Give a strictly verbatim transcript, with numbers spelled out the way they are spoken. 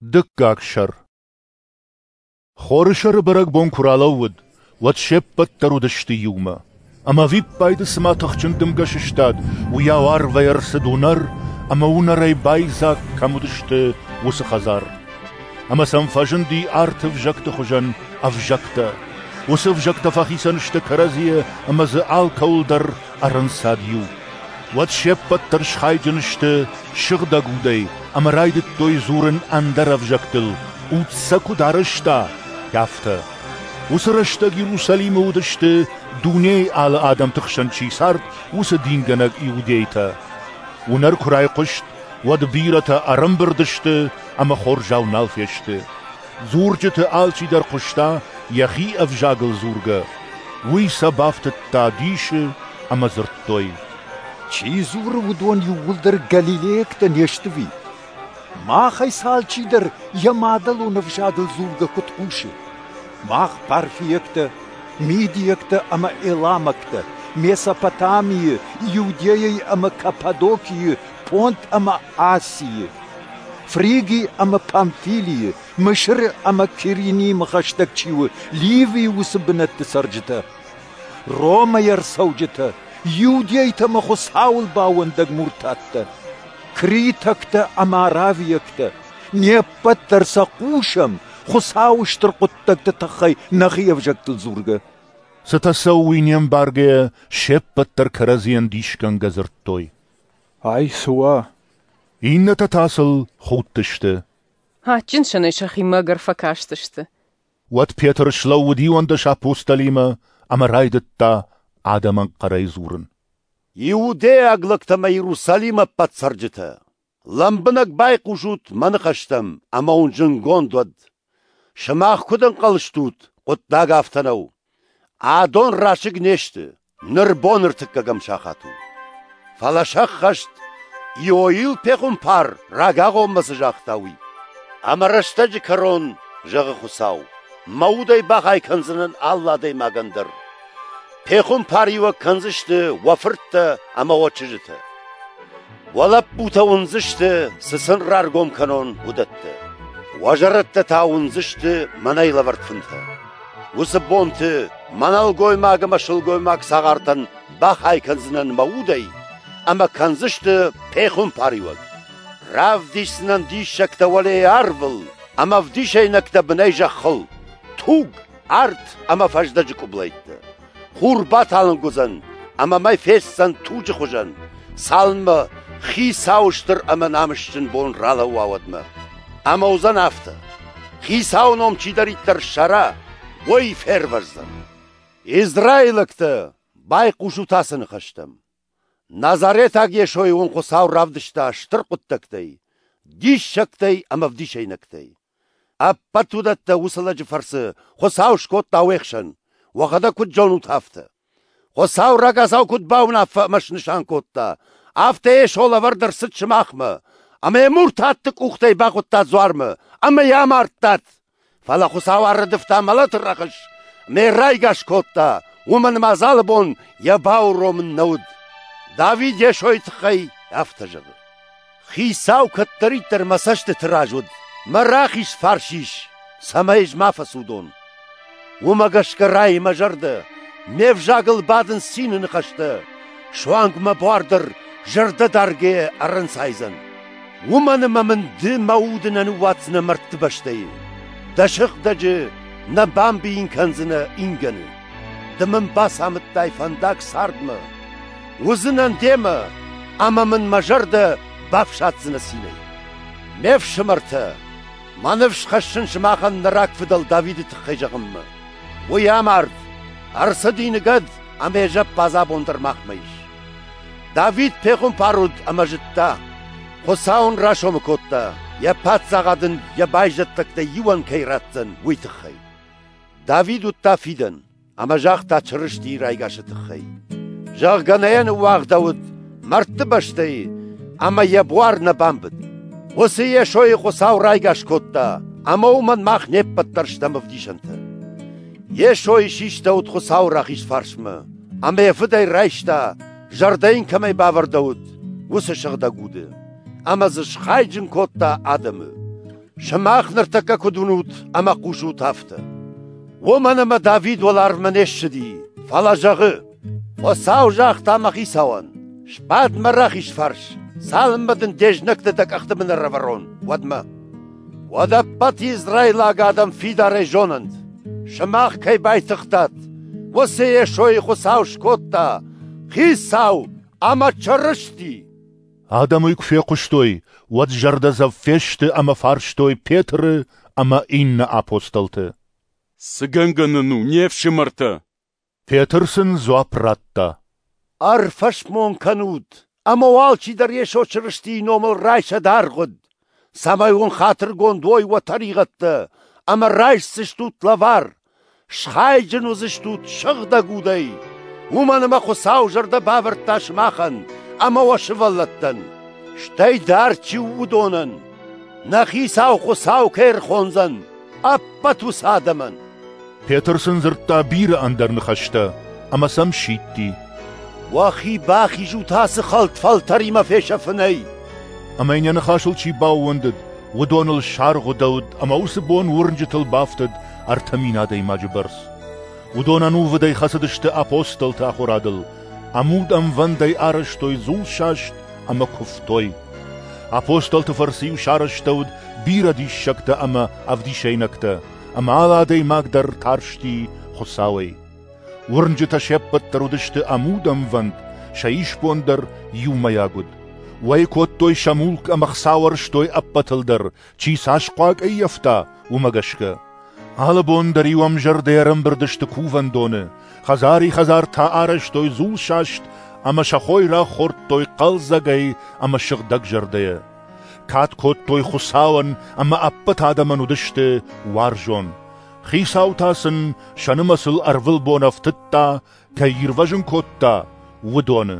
Дыккаг сӕр. Хорысӕры бӕрӕгбон куы ралӕууыд, уӕд се ппӕт дӕр уыдысты иумӕ. Ӕмӕ ӕвиппайды цыма тыхджын дымгӕ сыстад, уыйау арвӕй ӕрцыд уынӕр, ӕмӕ уынӕрӕй байдзаг, кӕм уыдысты, уыцы хӕдзар. Ӕмӕ сӕм фӕзынди арты ӕвзӕгты хуызӕн ӕвзӕгтӕ. Уыцы ӕвзӕгтӕ фӕхицӕн сты кӕрӕдзийӕ ӕмӕ дзы алкӕуыл дӕр ӕрӕнцад иу. Уӕд се ппӕт дӕр схайджын сты Сыгъдӕг Удӕй ӕмӕ райдыдтой дзурын ӕндӕр ӕвзӕгтыл, Уд сӕ куыд арӕзта, афтӕ. Уыцы рӕстӕг Иерусалимы уыдысты, дунейы алы адӕмты хсӕн чи цард, уыцы дингӕнӕг иудейтӕ. Уынӕр куы райхъуыст, уӕд бирӕтӕ ӕрӕмбырд сты ӕмӕ хорзау нал фесты. Дзурджыты алчидӕр хъуыста йӕхи ӕвзагыл дзургӕ. Уый сӕ бафтыдта дисы ӕмӕ дзырдтой: Чи дзуры, уыдон иууылдӕр галилейӕгтӕ не сты ӕви? Махӕй сӕ алчидӕр йӕ мадӕлон ӕвзагыл дзургӕ куыд хъусы? Мах парфиӕгтӕ, мидиӕгтӕ ӕмӕ эламӕгтӕ, Месопотамийы, Иудейӕйы ӕмӕ Каппадокийы, Понт ӕмӕ Асийы, Фриги ӕмӕ Памфилийы, Мысыры ӕмӕ Киренимӕ хӕстӕг чи у, Ливийы уыцы бынӕтты цӕрджытӕ, Ромӕй ӕрцӕуджытӕ, иудейтӕ ӕмӕ Хуыцауыл баууӕндӕг муртаттӕ, критӕгтӕ ӕмӕ аравиӕгтӕ, не ппӕт дӕр сӕ хъусӕм Хуыцауы стыр хъуыддӕгты тыххӕй нӕхи ӕвзӕгтыл дзургӕ. Цытӕ цӕуы, уый не мбаргӕйӕ, се ппӕт дӕр кӕрӕдзийӕн дисгӕнгӕ дзырдтой: Ай цы уа? Иннӕтӕ та сыл худтысты. Адджын сӕнӕй сӕхимӕ ӕгӕр фӕкастысты. Уӕд Петр слӕууыд иуӕндӕс апостолимӕ ӕмӕ райдыдта адӕмӕн хъӕрӕй дзурын. Иудейаг лӕгтӕ ӕмӕ Иерусалимы ӕппӕт цӕрджытӕ, лӕмбынӕг байхъусут мӕ ныхӕстӕм ӕмӕ уын зынгонд уӕд. Сымах куыд ӕнхъӕл стут, хъуыддаг афтӕ нӕу. Адон расыг не сты, ныр бон ӕртыккӕгӕм сахат у. Фӕлӕ сӕххӕст, Иоил пехуымпар рагагъоммӕ цы загъта, уый. Ӕмӕ рӕстӕджы кӕрон, зӕгъы Хуыцау, мӕ удӕй бахай кӕндзынӕн алы адӕймагӕн дӕр. Пехуымпариуӕг кӕндзысты уӕ фырттӕ ӕмӕ уӕ чызджытӕ. Уӕ лӕппутӕ уындзысты, цы сын раргом кӕнон, уыдӕттӕ. Уӕ зӕрӕдтӕ та уындзысты мӕнӕй лӕвӕрд фынтӕ. Уыцы бонты мӕ нӕлгоймаг ӕмӕ сылгоймаг цагъартӕн бахай кӕндзынӕн мӕ удӕй ӕмӕ кӕндзысты пехуымпариуӕг. Равдисдзынӕн диссӕгтӕ уӕлейы арвыл ӕмӕ ӕвдисӕйнӕгтӕ бынӕй зӕххыл, туг, арт ӕмӕ фӕздӕджы къуыблӕйттӕ. Хур баталынг уыдзӕн ӕмӕ мӕй фестдзӕн туджы хуызӕн, цалынмӕ Хицауы стыр ӕмӕ намысджын бон ралӕууа уӕдмӕ. Ӕмӕ уыдзӕн афтӕ: Хицауы ном чидӕриддӕр ссара, уый фервӕздзӕн. Израилӕгтӕ, байхъусут ацы ныхӕстӕм. Назаретаг Йесойы уын Хуыцау равдыста стыр хъуыддӕгтӕй, диссӕгтӕй ӕмӕ ӕвдисӕйнӕгтӕй. Ӕппӕт уыдӕттӕ уыцы лӕджы фӕрцы Хуыцау скодта уе хсӕн, уӕхӕдӕг куыд зонут, афтӕ. Хуыцау рагацау куыд бауынаффӕ ӕмӕ снысан кодта, афтӕ Йесо лӕвӕрд ӕрцыд сымахмӕ, ӕмӕ йӕ муртатты къухтӕй бахуыдтат дзуармӕ ӕмӕ йӕ амардтат. Фӕлӕ Хуыцау ӕрӕдывта мӕлӕты рӕхыс, ӕмӕ йӕ райгас кодта, уымӕн ӕмӕ адзалы бон йӕ бауромын нӕ уыд. Давид Йесойы тыххӕй афтӕ зӕгъы: Хицау кӕддӕриддӕр мӕ цӕстыты раз уыд, мӕ рахиз фарс ис, цӕмӕй ӕз ма фӕцудон. Уымӕ гӕсгӕ райы мӕ зӕрдӕ, ме взагыл бадынц цины ныхӕстӕ, суанг мӕ буар дӕр зӕрдӕдаргӕйӕ ӕрӕнцайдзӕн. Уымӕн ӕмӕ мын ды мӕ уды нӕ ныууадздзынӕ мӕрдты бӕстӕйы, дӕ сыгъдӕджы нӕ бамбийын кӕндзынӕ ингӕны. Ды мын бацамыдтай фӕндаг цардмӕ, уыдзынӕн демӕ, ӕмӕ мын мӕ зӕрдӕ бафсаддзынӕ цинӕй. Ме фсымӕртӕ, мӕ ныфс хӕссын сымахӕн нӕ рагфыдӕл Давиды тыххӕй зӕгъынмӕ. Уый амард, ӕрцыди ныгӕд ӕмӕ йӕ зӕппадз абон дӕр махмӕ ис. Давид пехуымпар уыд ӕмӕ зыдта, Хуыцау ын расомы кодта, йӕ паддзахад ын йӕ байзӕддӕгтӕй иуӕн кӕй ратдзӕн, уый тыххӕй. Давид уыдта фидӕн ӕмӕ загъта Чырыстийы райгасы тыххӕй. Зӕгъгӕ, нӕ йӕ ныууагъдӕуыд мӕрдты бӕстӕйы ӕмӕ йӕ буар нӕ бамбыд. Уыцы Йесойы Хуыцау райгас кодта, ӕмӕ уымӕн мах не ппӕт дӕр стӕм ӕвдисӕнтӕ. Йесойы систӕуыд Хуыцауы рахиз фарсмӕ, ӕмӕ йӕ Фыдӕй райста, зӕрдӕ йын кӕмӕй бавӕрдӕуыд, уыцы Сыгъдӕг Уды, ӕмӕ дзы схайджын кодта адӕмы. Сымах ныртӕккӕ куыд уынут ӕмӕ хъусут, афтӕ. Уымӕн ӕмӕ Давид уӕларвмӕ не ссыди, фӕлӕ зӕгъы: Хуыцау загъта мӕ хицауӕн: сбад мӕ рахиз фарс, цалынмӕ дын де знӕгты дӕ къӕхты бын ӕрӕвӕрон, уӕдмӕ. Уӕд ӕппӕт израилаг адӕм фидарӕй зонӕнт, сымах кӕй байтыгътат, уыцы Йесойы Хуыцау скодта Хицау ӕмӕ Чырысти. Адӕм уый куы фехъуыстой, уӕд зӕрдӕдзӕф фесты ӕмӕ фарстой Петры ӕмӕ иннӕ апостолты. Цы гӕнгӕ нын у, не фсымӕртӕ? Петр сын дзуапп радта: Ӕрфӕсмон кӕнут, ӕмӕ уӕ алчидӕр Йесо Чырыстийы номыл райсӕд аргъуыд, цӕмӕй уын хатыргонд уой уӕ тӕригъӕдтӕ, ӕмӕ райсдзыстут лӕвар, схайджын уыдзыстут Сыгъдӕг Удӕй. Уымӕн ӕмӕ Хуыцау зӕрдӕ бавӕрдта сымахӕн ӕмӕ уӕ сывӕллӕттӕн, стӕй дард чи у, уыдонӕн, нӕ Хицау Хуыцау кӕй ӕрхондзӕн, ӕппӕт уыцы адӕмӕн. Петр сын дзырдта бирӕ ӕндӕр ныхӕстӕ ӕмӕ сӕм сидти: Уӕхи бахизут ацы хӕлд фӕлтӕримӕ фесӕфынӕй. Ӕмӕ йын йӕ ныхасыл чи баууӕндыд, уыдоныл саргъуыдӕуыд ӕмӕ уыцы бон уырнджытыл бафтыд ӕртӕ мин адӕймаджы бӕрц. Уыдон ӕнувыдӕй хӕцыдысты апостолты ахуырадыл, ӕмуд ӕмвӕндӕй арӕзтой дзулсаст ӕмӕ куывтой. Апостолты фӕрцы-иу сарӕзтӕуыд бирӕ диссӕгтӕ ӕмӕ ӕвдисӕйнӕгтӕ, ӕмӕ алы адӕймаг дӕр тарсти Хуыцауӕй. Уырнджытӕ се ппӕт дӕр уыдысты ӕмуд ӕмвӕнд, сӕ исбон дӕр иумӕйаг уыд. Уӕй кодтой сӕ мулк ӕмӕ хца уӕрстой ӕппӕтыл дӕр, чи цас хъуаг ӕййӕфта, уымӕ гӕсгӕ. Алы бон дӕр-иу ӕмзӕрдӕ ӕрӕмбырд сты кувӕндоны, хӕдзари-хӕдзар та арӕзтой дзулсаст ӕмӕ сӕ хойраг хордтой хъӕлдзӕгӕй ӕмӕ сыгъдӕгзӕрдӕйӕ. Кад кодтой Хуыцауӕн ӕмӕ ӕппӕт адӕмӕн уыдысты уарзон. Хицау та сын сӕ нымӕцыл ӕрвылбон ӕфтыдта, кӕй ирвӕзын кодта, уыдоны.